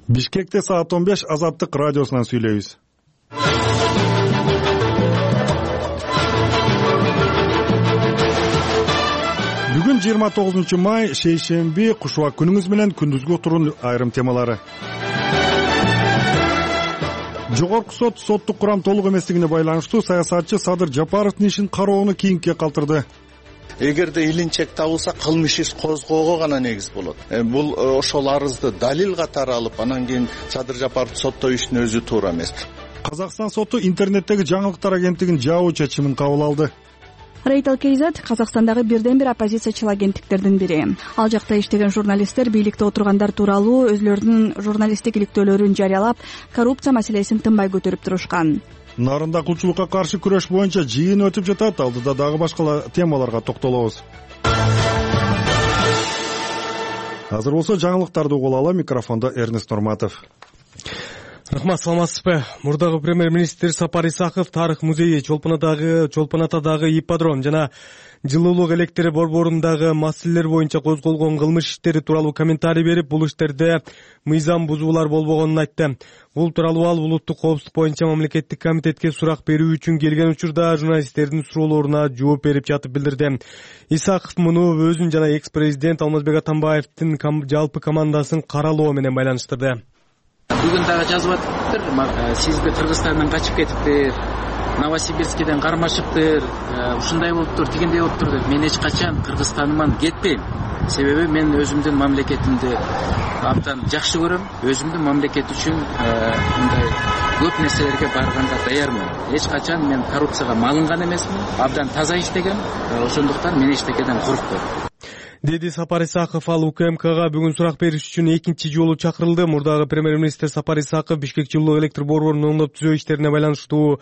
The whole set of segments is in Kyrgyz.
Бишкекте саат 15 Азаттык радиосунан сүйлөйбүз. Бүгүн 29 май, шейшемби, кушубак күнүңүз менен күндүзгү отурун айрым темалары. Жогорку сот соттук курам толук эместигине байланыштуу саясатчы Садыр Жапаровдун ишин кароону кийинке калтырды. Эгерде илинчек табылса, кылмыш иш козгоого гана негиз болот. Бул ошол арызды далил катары алып, анан кийин Садыр Жапаров соттоюштун өзү туура эмес. Казакстан соту интернеттеги жаңылыктар агенттигинин жабуу чечимин кабыл алды. Reuters Kz Казакстандагы бирден бир оппозициячыл агенттиктердин бири. Ал жакта иштеген журналисттер бийликте отургандар тууралуу өзлөрүнүн журналисттик иликтөөлөрүн жарыялап, коррупция маселесин тынбай көтөрүп турушкан. Нарында кулчулукка каршы күрөш боюнча жыйын өтүп жатат. Алдыда дагы башка темаларга токтолобуз. Азыр болсо жаңылыктарды угуп алалы. Микрофондо Эрнест Нурматов. Рахмат, саламатсызбы? Мурдагы премьер-министр Сапар Исаков тарых музейи, Чолпон Атадагы ипподром жана жылуулук электр борборундагы маселелер боюнча козголгон кылмыш иштери тууралуу комментарий берип, бул иштерде мыйзам бузуулар болбогонун айтты. Бул тууралуу ал улуттук коопсуздук боюнча мамлекеттик комитетке сурак берүү үчүн келген учурда журналисттердин суроолоруна жооп берип жатып билдирди. Исаков муну өзүн жана экс-президент Алмазбек Атамбаевдин жалпы командасын каралоо менен байланыштырды. Бүгүн дагы жазып атыптыр, сизди Кыргызстандан качып кетиптир, Новосибирскиден кармашыптыр, ушундай болуптур, тигиндей болуптур деп. Мен эч качан Кыргызстаныман кетпейм. Себеби мен өзүмдүн мамлекетимди абдан жакшы көрөм. Өзүмдүн мамлекет үчүн мындай көп нерселерге барганга даярмын. Эч качан мен коррупцияга малынган эмесмин. Абдан таза иштегем. Ошондуктан мен эчтекеден коркпойм. Деди Сапар Исаков. Ал УКМКга бүгүн сурак бериш үчүн экинчи жолу чакырылды. Мурдагы премьер-министр Сапар Исаков Бишкек жылуулук электр борборунун оңдоп түзөө иштерине байланыштуу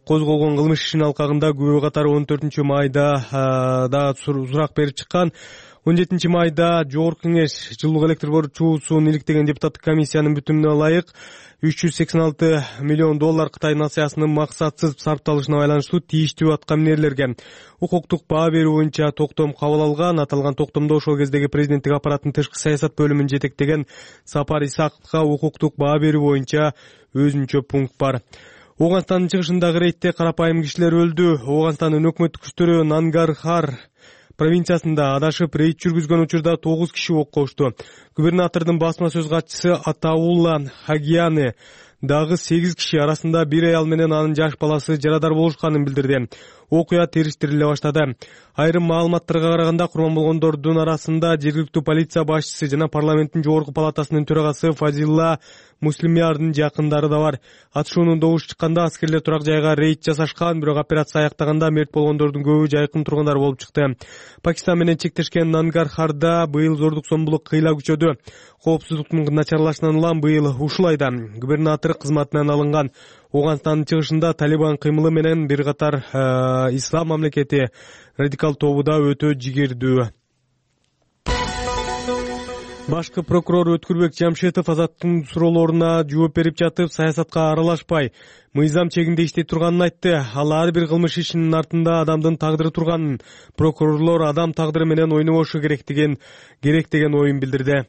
козголгон кылмыш ишинин алкагында күбө катары 14 майда да сурак берип чыккан. 17 майда Жогорку Кеңеш жылуулук электр чуусун иликтеген депутаттык комиссиянын бүтүнүнө ылайык $386 миллион Кытай нациясынын максатсыз сарпталышына байланыштуу тийиштүү аткаминерлерге укуктук баа берүү боюнча токтом кабыл алган. Аталган токтомдо ошол кездеги президенттик аппараттын тышкы саясат бөлүмүн жетектеген Сапар Исаковго укуктук баа берүү боюнча өзүнчө пункт бар. Ооганстандын чыгышындагы рейдте карапайым кишилер өлдү. Ооганстандын өкмөттүк күчтөрү Нангархар провинциясында адашып рейд жүргүзгөн учурда 9 киши оккошту. Губернатордун басма сөз катчысы Атаулла Хагияны дагы 8 киши арасында бир аял менен анын жаш баласы жарадар болушканын билдирди. Окуя териштириле баштады. Айрым маалыматтарга караганда курман болгондордун арасында жергиликтүү полиция башчысы жана парламенттин жогорку палатасынын төрагасы Фазилла Муслимярдын жакындары да бар. Атышуунун добушу чыкканда аскерлер турак жайга рейд жасашкан, бирок операция аяктаганда мерт болгондордун көбү жайкын тургундар болуп чыкты. Пакистан менен чектешкен Нангархарда быйыл зордук-зомбулук кыйла күчөдү. Коопсуздуктун начарлашынан улам быйыл ушул айда губернатор кызматынан алынган. Ооганстандын чыгышында Талибан кыймылы менен бир катар ислам мамлекети радикал тобу да өтө жигердүү. Башкы прокурор Өткүрбек Жамшитов Азаттын суроолоруна жооп берип жатып, саясатка аралашпай, мыйзам чегинде иштей турганын айтты. Ал ар бир кылмыш ишинин артында адамдын тагдыры турганын, прокурорлор адам тагдыры менен ойнобошу керек деген оюн билдирди.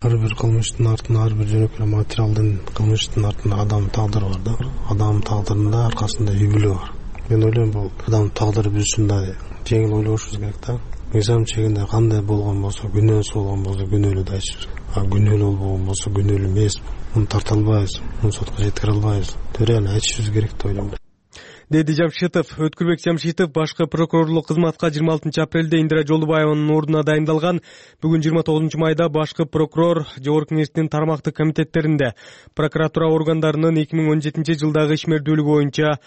Ар бир кылмыштын артында, ар бир жөнөкөй материалдын кылмыштын артында адам тагдыры бар да. Адам тагдырында аркасында үй бүлө бар. Мен ойлойм, бул адам тагдыры биз ушундай жеңил ойлошубуз керек да. Мыйзам чегинде кандай болгон болсо, күнөөсү болгон болсо күнөөлүү да айтышыбыз. Күнөөлүү болбогон болсо күнөөлүү эмес. Муну тарта албайбыз, муну сотко жеткире албайбыз. Төрөөнү айтышыбыз керек деп ойлойм. Деди Жамшитов. Өткүрбек Жамшитов башкы прокурорлук кызматка 26 апрелде Индира Жолдубаеванын ордуна дайындалган. Бүгүн 29 майда башкы прокурор Жогорку Кеңештин тармактык комитеттеринде прокуратура органдарынын 2017 жылдагы ишмердүүлүгү боюнча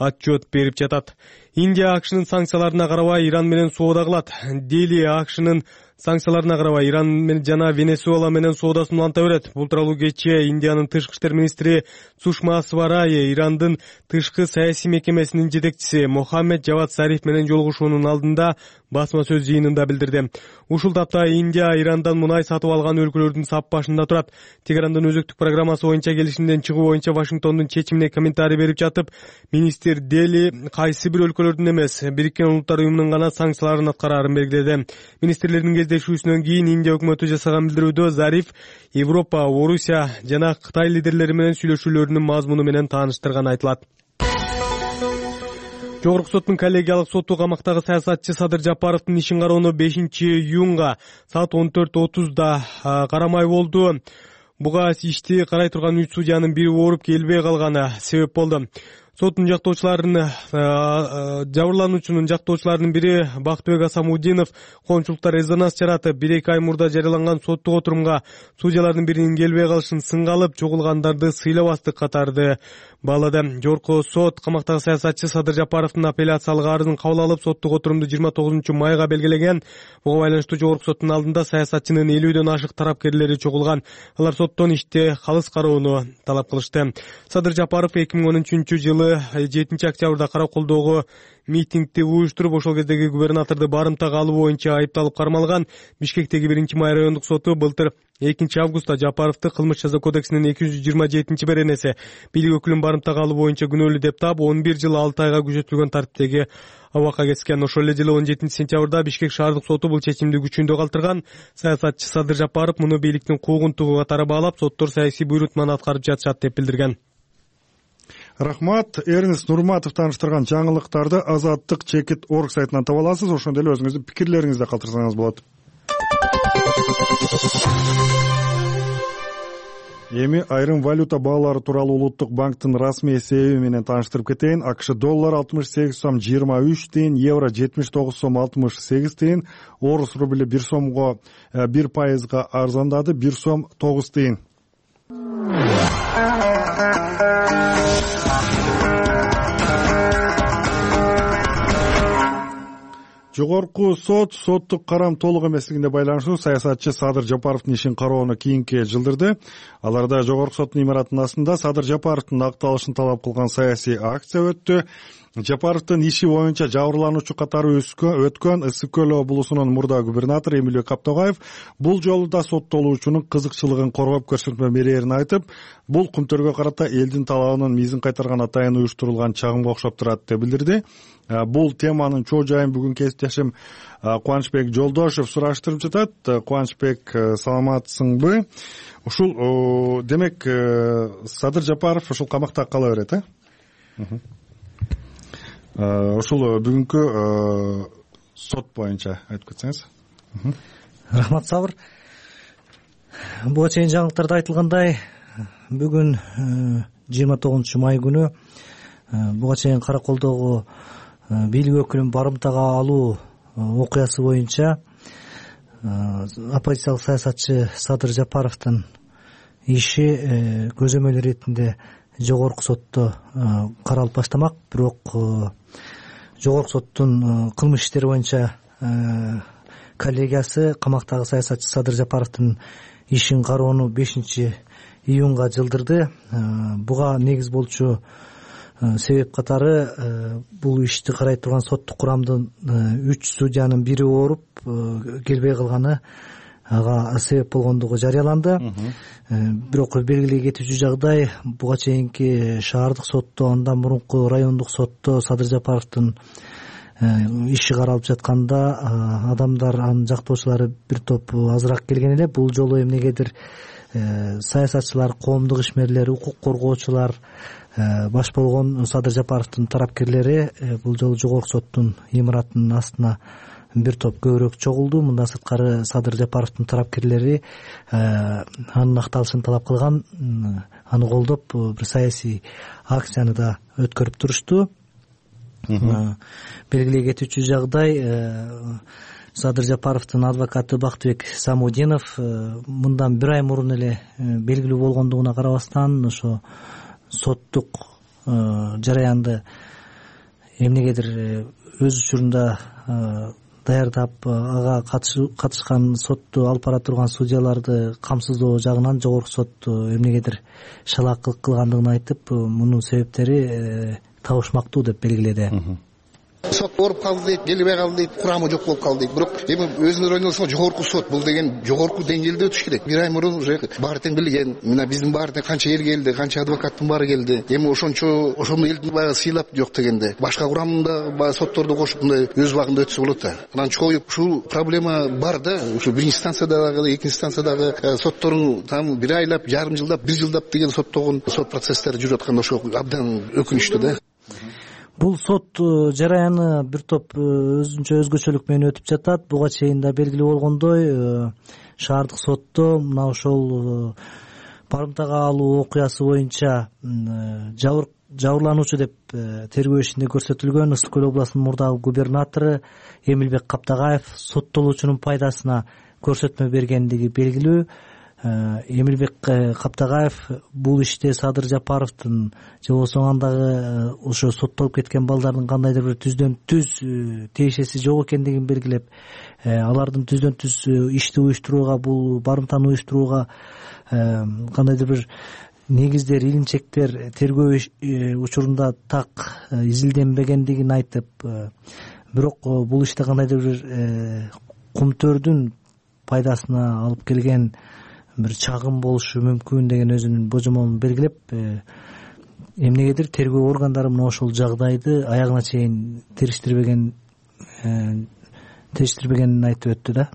отчет берип жатат. Индия АКШнын санкцияларына карабай Иран менен соода кылат. Дели АКШнын санкцияларына карабай Иран менен жана Венесуэла менен соодасын уланта берет. Бул тууралуу кечээ Индиянын тышкы иштер министри Сушма Сварай Ирандын тышкы саясий мекемесинин жетекчиси Мохаммед Жавад Зариф менен жолугушуунун алдында басма сөз жыйынында билдирди. Ушул тапта Индия Ирандан мунай сатып алган өлкөлөрдүн сап башында турат. Тегерандын өзөктүк программасы боюнча келишимден чыгуу боюнча Вашингтондун чечимине комментарий берип жатып, министр министр Дели кайсы бир өлкөлөрдүн эмес, Бириккен Улуттар уюмунун гана санкцияларын аткараарын белгиледи. Министрлердин кездешүүсүнөн кийин Индия өкмөтү жасаган билдирүүдө Зариф Европа, Орусия жана Кытай лидерлери менен сүйлөшүүлөрүнүн мазмуну менен тааныштырганы айтылат. Жогорку соттун коллегиялык соту камактагы саясатчы Садыр Жапаровдун ишин кароону 5-июнга саат 14:30 карамай болду. Буга ишти карай турган 3 судьянын бири ооруп келбей калганы себеп болду. Соттун жабырлануучунун жактоочуларынын бири Бактыбек Асамудинов коомчулукта резонанс жаратып, 1-2 ай мурда жарыяланган соттук отурумга судьялардын биринин келбей калышын сынга алып, чогулгандарды сыйлабастык катарды баалады. Жогорку сот камактагы саясатчы Садыр Жапаровдун апелляциялык арызын кабыл алып, соттук отурумду 29 майга белгилеген. Буга байланыштуу жогорку соттун алдында саясатчынын 50дөн ашык тарапкерлери чогулган. Алар соттон иште калыс кароону талап кылышты. Садыр Жапаров 2013-жылы 7 октябрда Караколдогу митингди уюштуруп, ошол кездеги губернаторду барымтага алуу боюнча айыпталып кармалган. Бишкектеги 1-май райондук соту былтыр 2 августта Жапаровду кылмыш жаза кодексинин 227-беренеси бийлик өкүлүн барымтага алуу боюнча күнөөлүү деп таап, 11 жыл 6 айга күчөтүлгөн тартиптеги абакка кеткен. Ошол эле жылы 17 сентябрда Бишкек шаардык соту бул чечимди күчүндө калтырган. Саясатчы Садыр Жапаров муну бийликтин куугунтугу катары баалап, соттор саясий буйрутманы аткарып жатышат деп билдирген. Рахмат. Эрнест Нурматов тааныштырган жаңылыктарды Азаттык чекит орг сайтынан таба аласыз. Ошондой эле өзүңүздүн пикирлериңизди калтырсаңыз болот. Эми айрым валюта баалары тууралуу Улуттук банктын расмий эсеби менен тааныштырып кетейин. АКШ доллар 68 сом 23 тыйын, евро 79 сом 68 тыйын, орус рубли 1 сомго 1% арзандады, 1 сом 9 тыйын. Жогорку сот соттук карам толук эмеслигине байланыштуу саясатчы Садыр Жапаровдун ишин кароону кийинке жылдырды. Аларда жогорку соттун имаратынын астында Садыр Жапаровдун акталышын талап кылган саясий акция өттү. Жапаровдун иши боюнча жабырлануучу катары өткөн Ысык көл облусунун мурда губернатору Эмилбек Каптогаев бул жолу да соттолуучунун кызыкчылыгын коргоп көрсөтмө берээрин айтып, бул Кумтөргө карата элдин талабынын мизин кайтарган атайын уюштурулган чагымга окшоп турат деп билдирди. Бул теманын чоо жайын бүгүн кесиптешим Кубанычбек Жолдошев сураштырып жатат. Кубанычбек, саламатсыңбы? Ушул демек Садыр Жапаров ушул камакта кала берет, Ушул бүгүнкү сот боюнча айтып кетсеңиз. Рахмат, Сабыр. Буга чейин жаңылыктарда айтылгандай, бүгүн 29 май күнү буга чейин Караколдогу бийлик өкүлүн барымтага алуу окуясы боюнча оппозициялык саясатчы Садыр Жапаровдун иши көзөмөл иретинде жогорку сотто каралып баштамак. Бирок жогорку соттун кылмыш иштери боюнча коллегиясы камактагы саясатчы Садыр Жапаровдун ишин кароону 5-июнга жылдырды. Буга негиз болчу себеп катары бул ишти карай турган соттук курамдын 3 судьянын бири ооруп келбей калганы ага себеп болгондугу жарыяланды. Бирок белгилей кетүүчү жагдай, буга чейинки шаардык сотто, андан мурунку райондук сотто Садыр Жапаровдун иши каралып жатканда адамдар, анын жактоочулары бир топ азыраак келген эле. Бул жолу эмнегедир саясатчылар, коомдук ишмерлер, укук коргоочулар баш болгон Садыр Жапаровдун тарапкерлери бул жолу жогорку соттун имаратынын астына бир топ көбүрөөк чогулду. Мындан сырткары Садыр Жапаровдун тарапкерлери анын акталышын талап кылган, аны колдоп бир саясий акцияны да өткөрүп турушту. Белгилей кетүүчү жагдай, Садыр Жапаровдун адвокаты Бактыбек Самудинов мындан бир ай мурун эле белгилүү болгондугуна карабастан ошо соттук жараянды эмнегедир өз учурунда даярдап, ага катышкан сотту алып бара турган судьяларды камсыздоо жагынан жогорку сот эмнегедир шалаакылык кылгандыгын айтып, мунун себептери табышмактуу деп белгиледи. сот ооруп калды дейт, келбей калды дейт, курамы жок болуп калды дейт. Бирок эми өзүңөр ойлонсоңор жогорку сот бул деген жогорку деңгээлде өтүш керек. Бир ай мурун уже баары тең билген, мына биздин баары тең канча эл келди, канча адвокаттын баары келди. Эми ошондо элди баягы сыйлап жок дегенде башка курамында баягы сотторду кошуп мындай өз убагында өтсө болот да. Анан чоюп ушул проблема бар да. Ушу биринчи станциядагы, экинчи станциядагы соттордун там бир айлап, жарым жылдап, бир жылдап деген соттогон сот процесстери жүрүп атканда ошо абдан өкүнүчтүү да. Бул сот жараяны бир топ өзүнчө өзгөчөлүк менен өтүп жатат. Буга чейин да белгилүү болгондой шаардык сотто мына ошол барымтага алуу окуясы боюнча жабырлануучу деп тергөө ишинде көрсөтүлгөн Ысык Көл областынын мурдагы губернатору Эмилбек Каптагаев соттолуучунун пайдасына көрсөтмө бергендиги белгилүү. Эмилбек Каптагаев бул иште Садыр Жапаровдун же болбосо андагы ошо соттолуп кеткен балдардын кандайдыр бир түздөн түз тиешеси жок экендигин белгилеп, алардын түздөн түз ишти уюштурууга, бул барымтаны уюштурууга кандайдыр бир негиздер, илинчектер тергөө учурунда так изилденбегендигин айтып, бирок бул иште кандайдыр бир кумтөрдүн пайдасына алып келген бир чагым болушу мүмкүн деген өзүнүн божомолун белгилеп, эмнегедир тергөө органдары мына ошол жагдайды аягына чейин териштирбегенин айтып өттү да.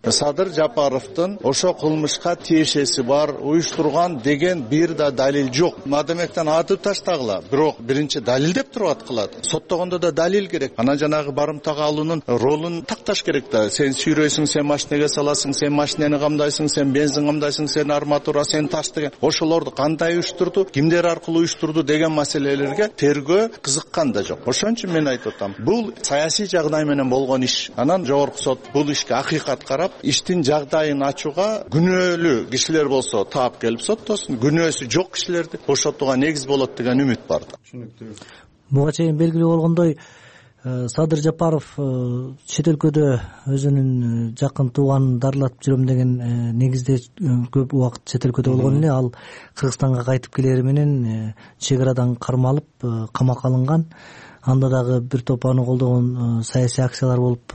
Садыр Жапаровдун ошо кылмышка тиешеси бар, уюштурган деген бир да далил жок. Мадамектен атып таштагыла, бирок биринчи далил деп туруп аткылат. Соттогондо да далил керек. Анан жанагы барымтага алуунун ролун такташ керек да. Сен сүйрөйсүң, сен машинеге саласың, сен машинени камдайсың, сен бензин камдайсың, сен арматура, сен таш деген. Ошолорду кандай уюштурду, кимдер аркылуу уюштурду деген маселелерге тергөө кызыккан да жок. Ошон үчүн мен айтып атам, бул саясий жагдай менен болгон иш. Анан жогорку сот бул ишке акыйкат карап, иштин жагдайын ачууга күнөөлүү кишилер болсо таап келип соттосун, күнөөсү жок кишилерди бошотууга негиз болот деген үмүт бар да. Буга чейин белгилүү болгондой, Садыр Жапаров чет өлкөдө өзүнүн жакын тууганын дарылатып жүрөм деген негизде көп убакыт чет өлкөдө болгон эле. Ал Кыргызстанга кайтып келери менен чек арадан кармалып камакка алынган. Анда дагы бир топ аны колдогон саясий акциялар болуп,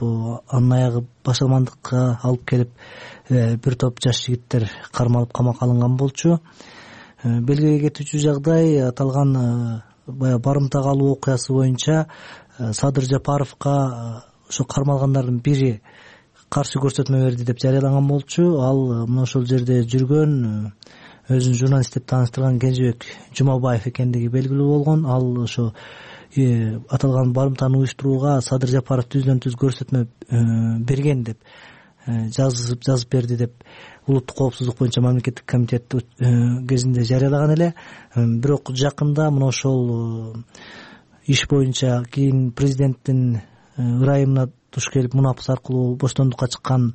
анын аягы башалмандыкка алып келип, бир топ жаш жигиттер кармалып камакка алынган болчу. Белгилей кетүүчү жагдай, аталган барымтага алуу окуясы боюнча Садыр Жапаровго ошо кармалгандардын бири каршы көрсөтмө берди деп жарыялаган болчу. Ал мына ошол жерде жүргөн, өзүн журналист деп тааныштырган Кенжебек Жумабаев экендиги белгилүү болгон. Ал ошо аталган барымтаны уюштурууга Садыр Жапаров түздөн түз көрсөтмө берген деп жазып берди деп улуттук коопсуздук боюнча мамлекеттик комитет кезинде жарыялаган эле. Бирок жакында мына ошол иш боюнча кийин президенттин ырайымына туш келип мунапыс аркылуу боштондукка чыккан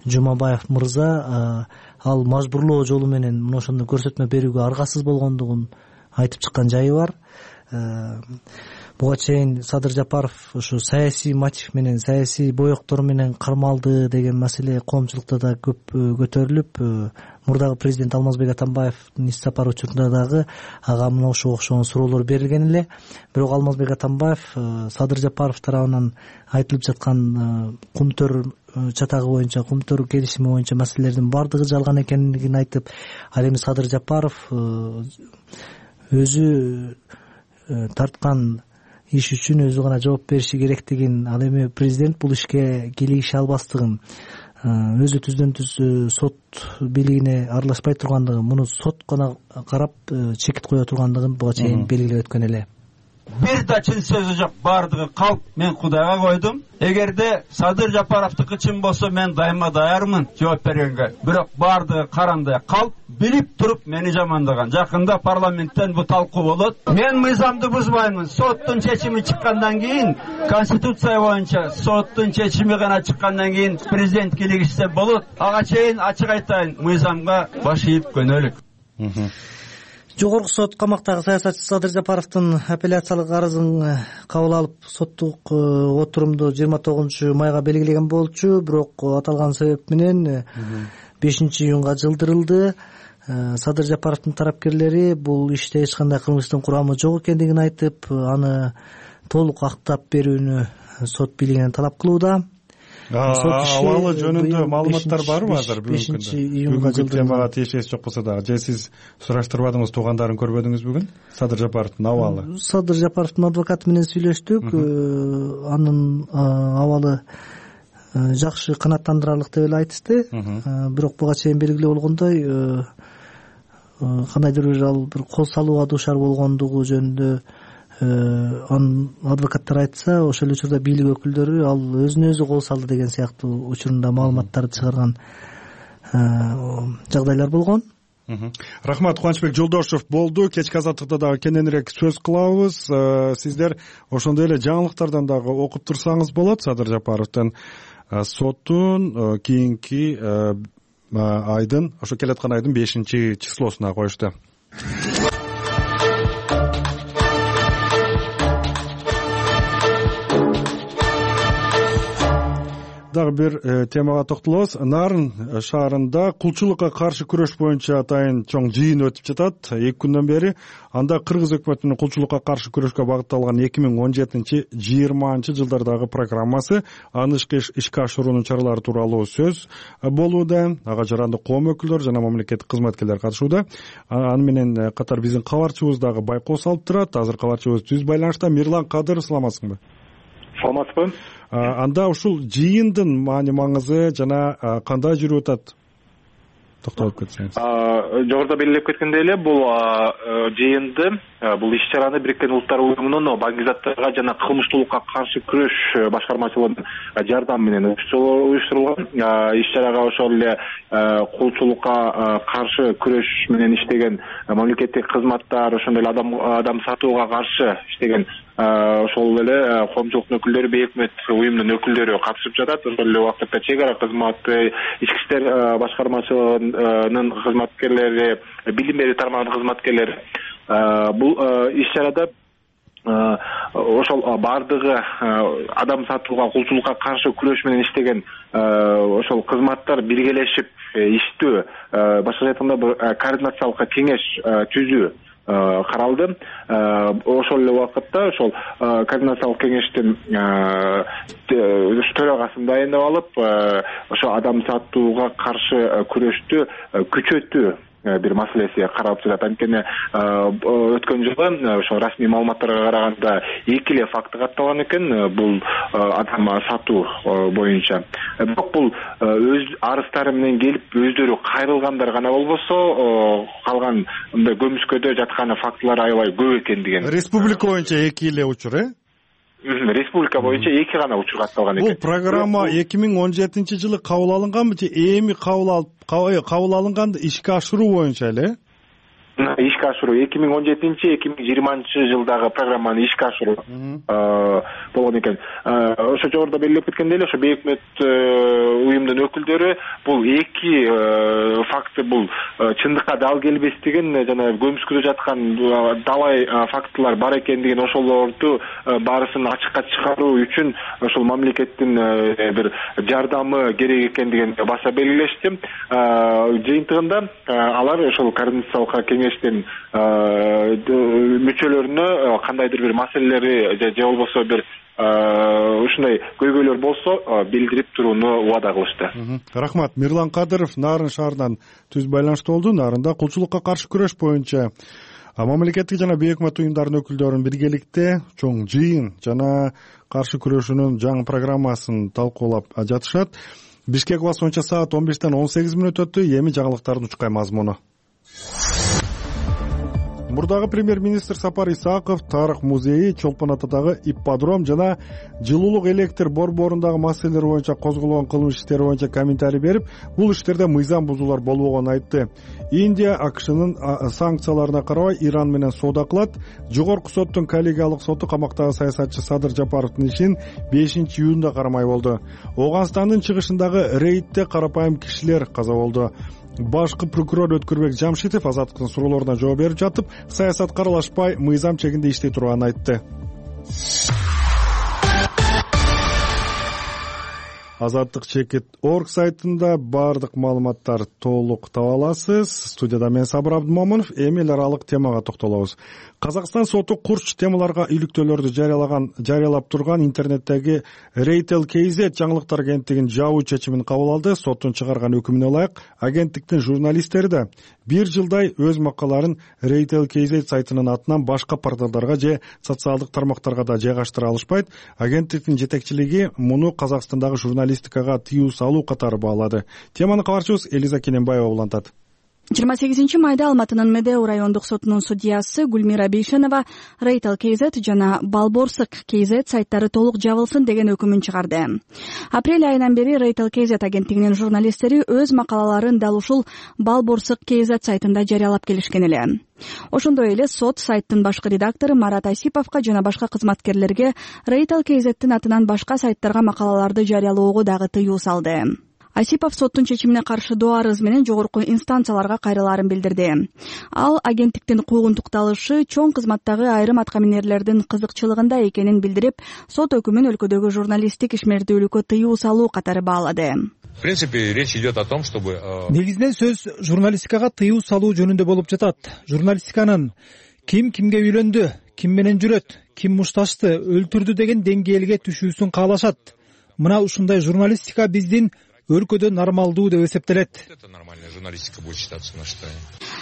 Жумабаев мырза ал мажбурлоо жолу менен мына ошондой көрсөтмө берүүгө аргасыз болгондугун айтып чыккан жайы бар. Буга чейин Садыр Жапаров ошо саясий мотив менен, саясий боектор менен кармалды деген маселе коомчулукта да көп көтөрүлүп, мурдагы президент Алмазбек Атамбаевдин иш сапары учурунда дагы ага мына ошого окшогон суроолор берилген эле. Бирок Алмазбек Атамбаев Садыр Жапаров тарабынан айтылып жаткан кумтөр чатагы боюнча, кумтөр келишими боюнча маселелердин бардыгы жалган экендигин айтып, ал эми Садыр Жапаров өзү тарткан иш үчүн өзү гана жооп бериши керектигин, ал эми президент бул ишке кийлигише албастыгын, өзү түздөн түз сот бийлигине аралашпай тургандыгын, муну сот гана карап чекит кое тургандыгын буга чейин белгилеп өткөн эле. Бир да чын сөзү жок, бардыгы калп. Мен Кудайга койдум. Эгерде Садыр Жапаровдуку чын болсо, мен дайыма даярмын жооп бергенге. Бирок бардыгы карандай калп, билип туруп мени жамандаган. Жакында парламенттен бу талкуу болот. Мен мыйзамды бузбаймын. Соттун чечими чыккандан кийин, конституция боюнча соттун чечими гана чыккандан кийин президент кийлигишсе болот. Ага чейин ачык айтайын, мыйзамга баш ийип көнөлүк. Жогорку сот камактагы саясатчы Садыр Жапаровдун апелляциялык арызын кабыл алып, соттук отурумду 29 майга белгилеген болчу. Бирок аталган себеп менен 5-июнга жылдырылды. Садыр Жапаровдун тарапкерлери бул иште эч кандай кылмыштын курамы жок экендигин айтып, аны толук актап берүүнү сот бийлигинен талап кылууда. Абалы жөнүндө маалыматтар барбы азыр? 5-июнга темага тиешеси жок болсо дагы, же сиз сураштырбадыңыз, туугандарын көрбөдүңүз бүгүн? Садыр Жапаровдун абалы. Садыр Жапаровдун адвокаты менен сүйлөштүк. Анын абалы жакшы, канааттандырарлык деп эле айтышты. Бирок буга чейин белгилүү болгондой кандайдыр бир ал бир кол салууга дуушар болгондугу жөнүндө анын адвокаттар айтса, ошол эле учурда бийлик өкүлдөрү ал өзүнө өзү кол салды деген сыяктуу учурунда маалыматтарды чыгарган жагдайлар болгон. Рахмат. Кубанычбек Жолдошев болду. Кечки азаттыкта дагы кененирээк сөз кылабыз. Сиздер ошондой эле жаңылыктардан дагы окуп турсаңыз болот. Садыр Жапаровдун соттун кийинки айдын, ошо келаткан айдын 5-числосуна коюшту. Дагы бир темага токтолобуз. Нарын шаарында кулчулукка каршы күрөш боюнча атайын чоң жыйын өтүп жатат. 2 күндөн бери анда кыргыз өкмөтүнүн кулчулукка каршы күрөшкө багытталган 2017-20 жылдардагы программасы, аны ишке ашыруунун чаралары тууралуу сөз болууда. Ага жарандык коом өкүлдөрү жана мамлекеттик кызматкерлер катышууда. Аны менен катар биздин кабарчыбыз дагы байкоос алып турат. Азыр кабарчыбыз түз байланышта. Мирлан Кадыров, саламатсыңбы? Саламатсызбы? Анда ушул жыйындын маани маңызы жана кандай жүрүп атат? Токтолуп кетсеңиз. Жогоруда белгилеп кеткендей эле, бул жыйынды, бул иш-чараны Бириккен Улуттар Уюмунун баңгизаттарга жана кылмыштуулукка каршы күрөш башкармачылыгынын жардамы менен уюштурулган. Иш-чарага ошол эле кулчулукка каршы күрөш менен иштеген мамлекеттик кызматтар, ошондой эле адам сатууга каршы иштеген ошол эле коомчулуктун өкүлдөрү, бейөкмөт уюмдун өкүлдөрү катышып жатат. Ошол эле убакытта чек ара кызматы, ички иштер башкармачылыгынын кызматкерлери, билим берүү тармагынын кызматкерлери бул иш-чарада ошол бардыгы адам сатууга, кулчулукка каршы күрөш менен иштеген ошол кызматтар биргелешип иштөө, башкача айтканда координациялык кеңеш түзүү каралды. Ошол эле убакытта ошол координациялык кеңештин төрагасын дайындап алып, ошо адам сатууга каршы күрөштү күчөтүү бир маселеси каралып жатат. Анткени өткөн жылы ошо расмий маалыматтарга караганда 2 эле факты катталган экен бул адам сатуу боюнча. Бирок бул өз арыздары менен келип өздөрү кайрылгандар гана болбосо, калган мындай көмүскөдө жаткан фактылар аябай көп экен деген. Республика боюнча 2 эле учур, Республика боюнча 2 гана учур катталган экен. Бул программа 2017 жылы кабыл алынганбы же эми кабыл алынганда ишке ашыруу боюнча эле? Ишке ашыруу 2017-2020 жылдагы программаны ишке ашыруу болгон экен. Ошо жогоруда белгилеп кеткендей эле, ошо бейөкмөт уюмдун өкүлдөрү бул 2 факты бул чындыкка дал келбестигин жана көмүскөдө жаткан далай фактылар бар экендигин, ошолорду баарысын ачыкка чыгаруу үчүн ошол мамлекеттин бир жардамы керек экендигин баса белгилешти. Жыйынтыгында алар ошол координациялык кеңештин мүчөлөрүнө кандайдыр бир маселелери же болбосо бир ушундай көйгөйлөр болсо билдирип турууну убада кылышты. Рахмат. Мирлан Кадыров Нарын шаарынан түз байланышта болду. Нарында кулчулукка каршы күрөш боюнча мамлекеттик жана бейөкмөт уюмдардын өкүлдөрүн биргеликте чоң жыйын жана каршы күрөшүүнүн жаңы программасын талкуулап жатышат. Бишкек убакыты боюнча саат 15-тен 18 мүнөт өттү. Эми жаңылыктардын учкай мазмуну. Мурдагы премьер-министр Сапар Исаков тарых музейи, Чолпон атадагы ипподром жана жылуулук электр борборундагы маселелер боюнча козголгон кылмыш иштери боюнча комментарий берип, бул иштерде мыйзам бузуулар болбогонун айтты. Индия АКШнын санкцияларына карабай Иран менен соода кылат. Жогорку соттун коллегиялык соту камактагы саясатчы Садыр Жапаровдун ишин 5-июнда кармай болду. Оганстандын чыгышындагы рейдте карапайым кишилер каза болду. Башкы прокурор Өткүрбек Жамшитов азаттыктын суроолоруна жооп берип жатып, саясатка аралашпай мыйзам чегинде иштей турганын айтты. Азаттык.org сайтында баардык маалыматтар толук таба аласыз. Студияда мен Сабыр Абдымомунов. Эми эл аралык темага токтолобуз. Казакстан соту курч темаларга иликтөөлөрдү жарыялап турган интернеттеги Retail KZ жаңылыктар агенттигинин жабуу чечимин кабыл алды. Соттун чыгарган өкүмүнө ылайык агенттиктин журналисттери да 1 жылдай өз макалаларын Retail KZ сайтынын атынан башка порталдарга же социалдык тармактарга да жайгаштыра алышпайт. Агенттиктин жетекчилиги муну Казакстандагы журналистикага тыюу салуу катары баалады. Теманы кабарчыбыз Элиза Кененбаева улантат. 28 майда Алматынын Медеу райондук сотунун судьясы Гүлмира Бейшенова Retail KZ жана Балборсык KZ сайттары толук жабылсын деген өкүмүн чыгарды. Апрель айынан бери Retail KZ агенттигинин журналисттери өз макалаларын дал ушул Балборсык KZ сайтында жарыялап келишкен эле. Ошондой эле сот сайттын башкы редактору Марат Асиповго жана башка кызматкерлерге Retail KZ'тин атынан башка сайттарга макалаларды жарыялоого дагы тыюу салды. Асипов соттун чечимине каршы доо арыз менен жогорку инстанцияларга кайрылаарын билдирди. Ал агенттиктин куугунтукталышы чоң кызматтагы айрым аткаминерлердин кызыкчылыгында экенин билдирип, сот өкүмүн өлкөдөгү журналисттик ишмердүүлүккө тыюу салуу катары баалады. В принципе, речь идет о том, чтобы... Негизинен сөз журналистикага тыюу салуу жөнүндө болуп жатат. Журналистиканын ким кимге үйлөндү, ким менен жүрөт, ким мушташты, өлтүрдү деген деңгээлге түшүүсүн каалашат. Мына ушундай журналистика биздин өлкөдө нормалдуу деп эсептелет. Это нормальная журналистика будет считаться, на что...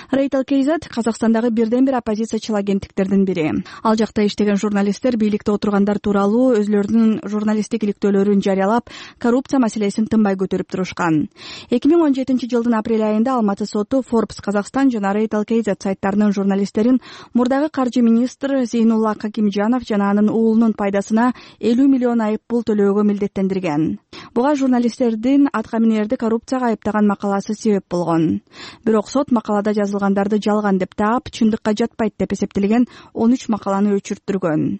Retail KZ Казакстандагы бирден бир оппозициячыл агенттиктердин бири. Ал жакта иштеген журналисттер бийликте отургандар тууралуу өзлөрүнүн журналисттик иликтөөлөрүн жарыялап, коррупция маселесин тынбай көтөрүп турушкан. 2017 жылдын апрель айында Алматы соту Forbes Казакстан жана Retail KZ сайттарынын журналисттерин мурдагы каржы министри Зейнулла Какимжанов жана анын уулунун пайдасына 50 миллион айып пул төлөөгө милдеттендирген. Буга журналисттердин аткаминерди коррупцияга айыптаган макаласы себеп болгон. Бирок сот макалада жазылгандарды жалган деп таап, чындыкка жатпайт деп эсептелген 13 макаланы өчүрттүргөн.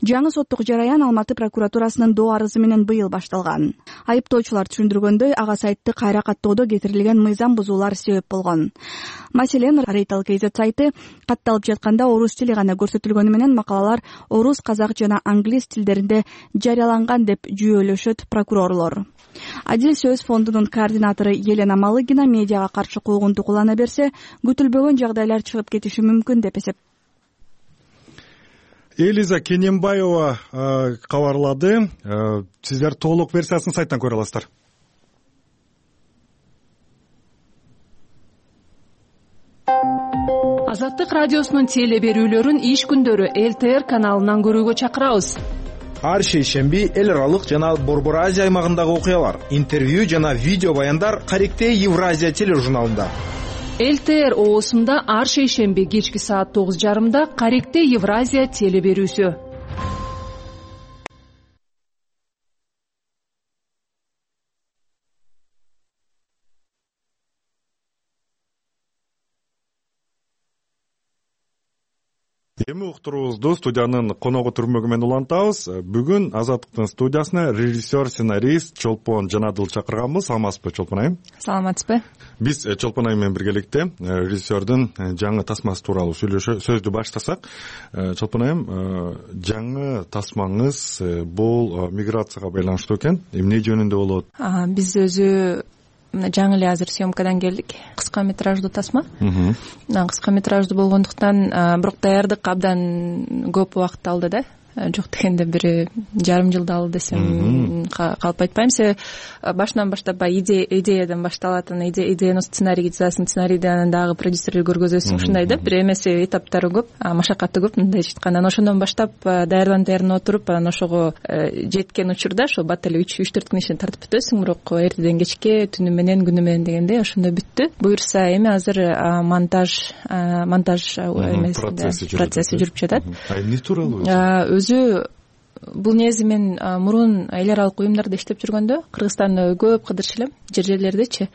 Жаңы соттук жараян Алматы прокуратурасынын доо арызы менен быйыл башталган. Айыптоочулар түшүндүргөндөй, ага сайтты кайра каттоодо кетирилген мыйзам бузуулар себеп болгон. Маселен, Retail KZ сайты катталып жатканда орус тили гана көрсөтүлгөнү менен макалалар орус, казак жана англис тилдеринде жарыяланган деп жүйөлөшөт прокурорлор. Адил сөз фондунун координатору Елена Малыгина медиага каршы куугунтук улана берсе, күтүлбөгөн жагдайлар чыгып кетиши мүмкүн деп эсеп. Элиза Кененбаева кабарлады. Сиздер толук версиясын сайттан көрө аласыздар. Азаттык радиосунун теле берүүлөрүн иш күндөрү ЛТР каналынан көрүүгө чакырабыз. Ар шейшемби эл аралык жана Борбор Азия аймагындагы окуялар, интервью жана видео баяндар Каректе Евразия тележурналында. ЛТР оосунда ар шейшемби кечки саат 9:30 Каректе Евразия теле берүүсү. Эми уктуруубузду студиянын коногу түрмөгү менен улантабыз. Бүгүн Азаттыктын студиясына режиссер, сценарист Чолпон Жанадыл чакырганбыз. Саламатсызбы, Чолпон айым? Саламатсызбы. Биз Чолпон айым менен биргеликте режиссердин жаңы тасмасы тууралуу сөздү баштасак. Чолпон айым, жаңы тасмаңыз бул миграцияга байланыштуу экен. Эмне жөнүндө болот? Биз өзү жаңы эле азыр съемкадан келдик. Кыска метраждуу тасма. Кыска метраждуу болгондуктан бирок даярдык абдан көп убакыт алды да. Жок дегенде 1,5 жылда алды десем калп айтпайм. Себеби башынан баштап идеядан башталатын, идеяны сценарийге жазасың, сценарийден дагы продюсерге көргөзөсүң, ушундай да. Бир эмеси этаптары көп, машакаты көп, мындай айтканда. Ошондон баштап даярданып отуруп, анан ошого жеткен учурда ошо бат эле 3-4 күн ичинде тартып бүтөсүң, бирок эртеден кечке, түнү менен, күнү менен дегендей ошондой бүттү. Буюрса эми азыр монтаж процесси жүрүп жатат. Эмне тууралуу? Өзү бул негизи мен мурун эл аралык уюмдарда иштеп жүргөндө Кыргызстанда көп кыдырчу элем, жерлердечи.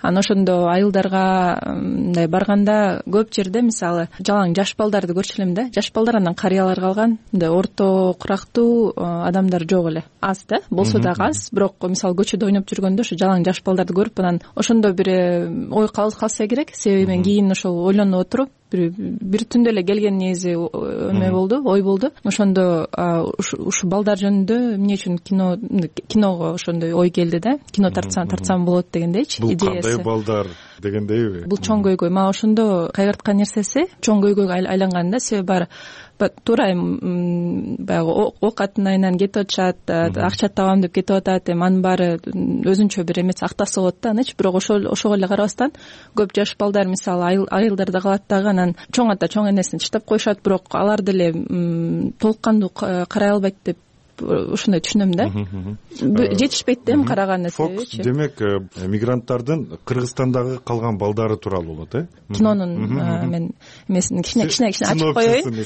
Анан ошондо айылдарга мындай барганда көп жерде мисалы жалаң жаш балдарды көрчү элем да. Жаш балдар анан карыялар калган, мындай орто курактуу адамдар жок эле. Аз да, болсо дагы аз. Бирок мисалы көчөдө ойноп жүргөндө ошо жалаң жаш балдарды көрүп, анан ошондо бир ой калса керек. Себеби мен кийин ошол ойлонуп отуруп, бир түндө эле келген негизи эме болду, ой болду. Ошондо ушу балдар жөнүндө эмне үчүн киного ошондой ой келди да. Кино тартсам болот дегендейчи идеясы. Бул кандай балдар дегендейби? Бул чоң көйгөй. Мага ошондо кайгырткан нерсеси чоң көйгөйгө айланган да. Себеби баары туура баягы ок атынайынан кетип атышат, акча табам деп кетип атат, анын баары өзүнчө бир эмеси актасы болот да анычы. Бирок ошого эле карабастан көп жаш балдар мисалы айылдарда калат дагы, анан чоң ата чоң энесин таштап коюшат, бирок алар деле толук кандуу карай албайт деп ошондой түшүнөм да. Жетишпейт да эми караган нерсечи. Демек мигранттардын Кыргызстандагы калган балдары тууралуу болот, кинонун мен эмесин кичине ачып коеюн.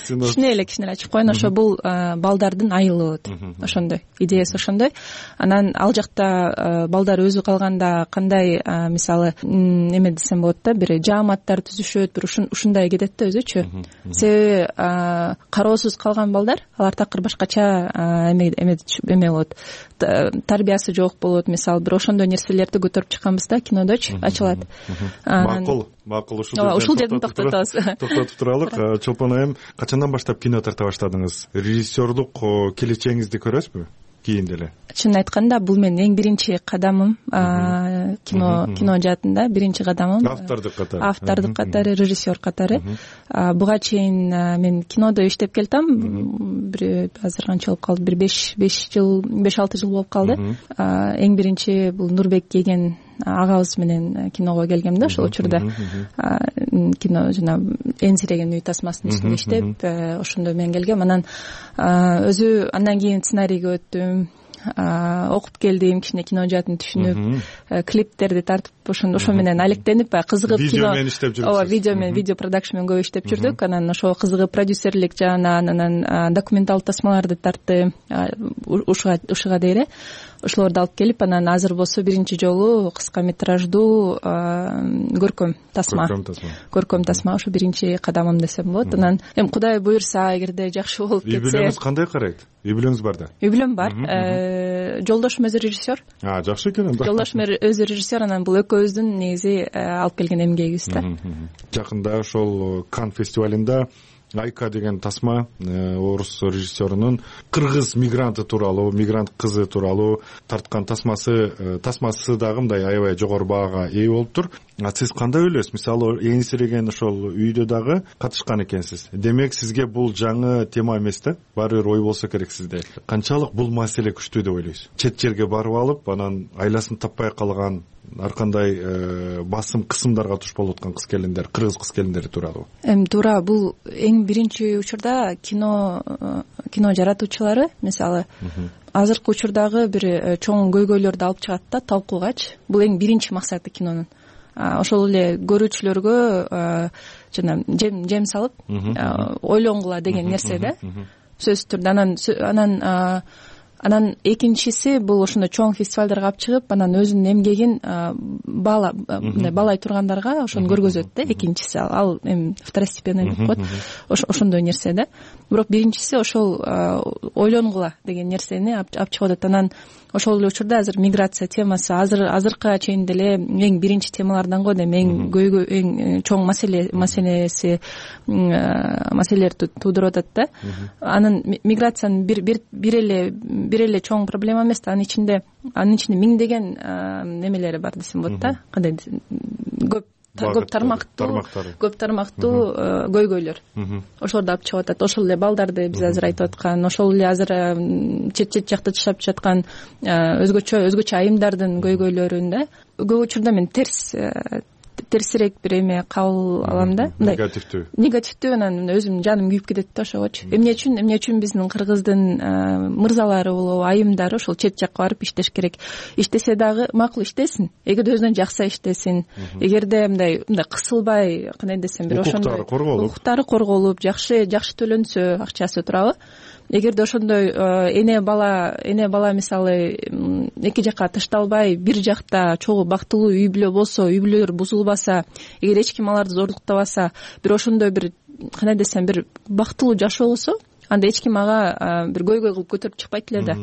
Кичине ачып коеюн. Ошо бул балдардын айылы болот. Ошондой идеясы ошондой. Анан ал жакта балдар өзү калганда кандай мисалы эме десем болот да, бир жааматтар түзүшөт, бир ушундай кетет да өзүчү. Себеби кароосуз калган балдар алар такыр башкача эме болот, тарбиясы жок болот. Мисалы бир ошондой нерселерди көтөрүп чыкканбыз да кинодочу, ачылат. Макул ушул жерден токтотобуз. Токтотуп туралык. Чолпон айым, качандан баштап кино тарта баштадыңыз? Режиссерлук келечегиңизди көрөсүзбү кийин деле? Чынын айтканда бул менин эң биринчи кадамым кино жаатында, биринчи кадамым. Автордук катары, режиссер катары. Буга чейин мен кинодо иштеп келатам. Бир азыр канча болуп калды? Бир 5-6 жыл болуп калды. Эң биринчи бул Нурбек деген агабыз менен киного келгем да. Ошол учурда кино жана энсиреген үй тасмасынын үстүндө иштеп, ошондо мен келгем. Анан өзү андан кийин сценарийге өттүм, окуп келдим, кичине кино жаатын түшүнүп, клиптерди тартып ошо менен алектенип, кызыгып видео менен иштеп жүрдүк. Ооба, видео менен, видео продакшн менен көп иштеп жүрдүк. Анан ошо кызыгып продюсерлик жагынан, анан документалдык тасмаларды тартты ушуга дейре. Ошолорду алып келип, анан азыр болсо биринчи жолу кыска метраждуу көркөм тасма ошо биринчи кадамым десем болот. Анан эми Кудай буюрса, эгерде жакшы болуп кетсе. Үй бүлөңүз кандай карайт? Үй бүлөңүз бар да? Үй бүлөм бар. Жолдошум өзү режиссер. Жакшы экен анда. Жолдошум өзү режиссер, анан бул экөөбүздүн негизи алып келген эмгегибиз да. Жакында ошол Кан фестивалында Айка деген тасма орус режиссерунун кыргыз мигранты тууралуу, мигрант кызы тууралуу тарткан тасмасы дагы мындай аябай жогору баага ээ болуптур. Сиз кандай ойлойсуз? Мисалы энсиреген ошол үйдө дагы катышкан экенсиз. Демек сизге бул жаңы тема эмес да, баары бир ой болсо керек сизде. Канчалык бул маселе күчтүү деп ойлойсуз? Чет жерге барып алып, анан айласын таппай калган, ар кандай басым кысымдарга туш болуп аткан кыз келиндер, кыргыз кыз келиндери тууралуу. Туура, бул эң биринчи учурда кино жаратуучулары мисалы азыркы учурдагы бир чоң көйгөйлөрдү алып чыгат да талкуугачы. Бул эң биринчи максаты кинонун. Ошол эле көрүүчүлөргө жана жем салып ойлонгула деген нерсе да. Сөзсүз түрдө анан экинчиси бул ошондой чоң фестивалдарга алып чыгып, анан өзүнүн эмгегин баалай тургандарга ошону көргөзөт да. Экинчиси ал эми второстепенный деп коет. Ошондой нерсе да. Бирок биринчиси ошол ойлонгула деген нерсени алып чыгып атат. Анан ошол эле учурда азыр миграция темасы азыркыга чейин деле эң биринчи темалардан го дейм, эң көйгөй, эң чоң маселелер туудуруп атат да. Анын миграциянын бир эле чоң проблема эмес да, анын ичинде миңдеген немелери бар десем болот да. Кандай көп тармактуу көйгөйлөр. Ошолорду алып чыгып атат. Ошол эле балдарды биз азыр айтып аткан, ошол эле азыр чет жакта жашап жаткан өзгөчө айымдардын көйгөйлөрүн да. Көп учурда мен терсирээк бир эме кабыл алам да. Негативдүү анан өзүмдүн жаным күйүп кетет да ошогочу. Эмне үчүн биздин кыргыздын мырзалары болобу, айымдары ошол чет жакка барып иштеш керек. Иштесе дагы макул иштесин, эгерде өзүнөн жакса иштесин. Эгерде мындай кысылбай, кандай десем, бир ошондой укуктары корголуп, жакшы төлөнсө акчасы туурабы. Эгерде ошондой эне бала мисалы эки жакка ташталбай, бир жакта чогуу бактылуу үй бүлө болсо, үй бүлөлөр бузулбаса, эгер эч ким аларды зордуктабаса, бир ошондой бир кандай десем, бир бактылуу жашоо болсо, анда эч ким ага бир көйгөй кылып көтөрүп чыкпайт эле да,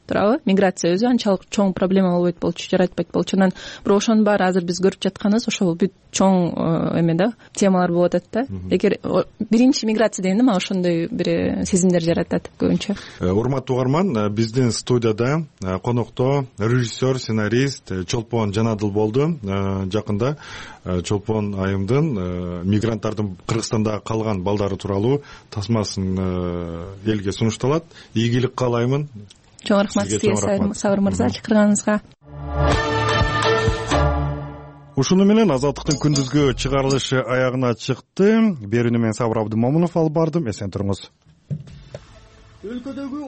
туурабы? Миграция өзү анчалык чоң проблема болбойт болчу, жаратпайт болчу. Анан бирок ошонун баары азыр биз көрүп жатканыбыз ошол бүт чоң эме да, темалар болуп атат да. Эгер биринчи миграция дегенде мага ошондой бир сезимдер жаратат көбүнчө. Урматтуу угарман, биздин студияда конокто режиссер, сценарист Чолпон Жанадыл болду. Жакында Чолпон айымдын мигранттардын Кыргызстанда калган балдары тууралуу тасмасын элге сунушталат. Ийгилик каалаймын. Чоң рахмат сизге, Сабыр мырза, чакырганыңызга. Ушуну менен Азаттыктын күндүзгү чыгарылышы аягына чыкты. Берүүнү мен Сабыр Абдымомунов алып бардым. Эсен туруңуз. Өлкөдөгү